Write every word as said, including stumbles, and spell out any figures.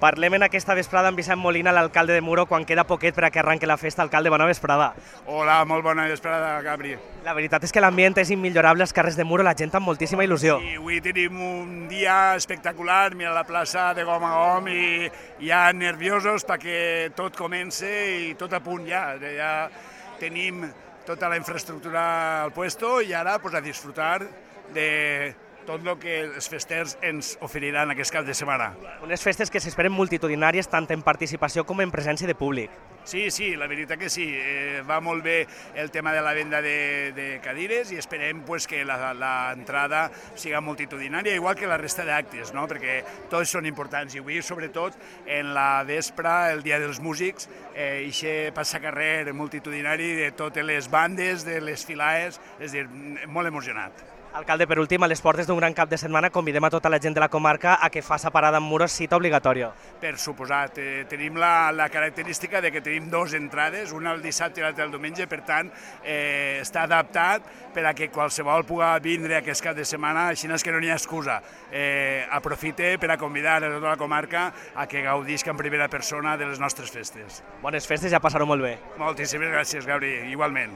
Parlem en aquesta vesprada amb Vicent Molina, l'alcalde de Muro, quan queda poquet per a que arrenqui la festa. Alcalde, bona vesprada. Hola, molt bona vesprada, Gabri. La veritat és que l'ambient és immillorable als carrers de Muro, la gent amb moltíssima il·lusió. I avui tenim un dia espectacular, mira la plaça de gom a gom i ja nerviosos perquè tot comença i tot a punt ja. Ja tenim tota la infraestructura al puesto i ara pues, a disfrutar de tot el que els festers ens oferiran aquest cap de setmana. Unes festes que s'esperen multitudinàries tant en participació com en presència de públic. Sí, sí, la veritat que sí. Eh, va molt bé el tema de la venda de, de cadires i esperem pues, que l'entrada siga multitudinària, igual que la resta d'actes, no? Perquè tots són importants. I avui, sobretot, en la vespre, el Dia dels Músics, eh, ixe passacarrer multitudinari de totes les bandes, de les filaes, és a dir, molt emocionat. Alcalde, per últim, a les portes d'un gran cap de setmana convidem a tota la gent de la comarca a que faça parada en Muro, cita obligatòria. Per suposat. Eh, tenim la, la característica de que tenim dues entrades, una el dissabte i l'altra el diumenge, per tant, eh, està adaptat per a que qualsevol pugui vindre a aquest cap de setmana, així és que no n'hi ha excusa. Eh, aprofite per a convidar a tota la comarca a que gaudisca en primera persona de les nostres festes. Bones festes, ja passar-ho molt bé. Moltíssimes gràcies, Gabri, igualment.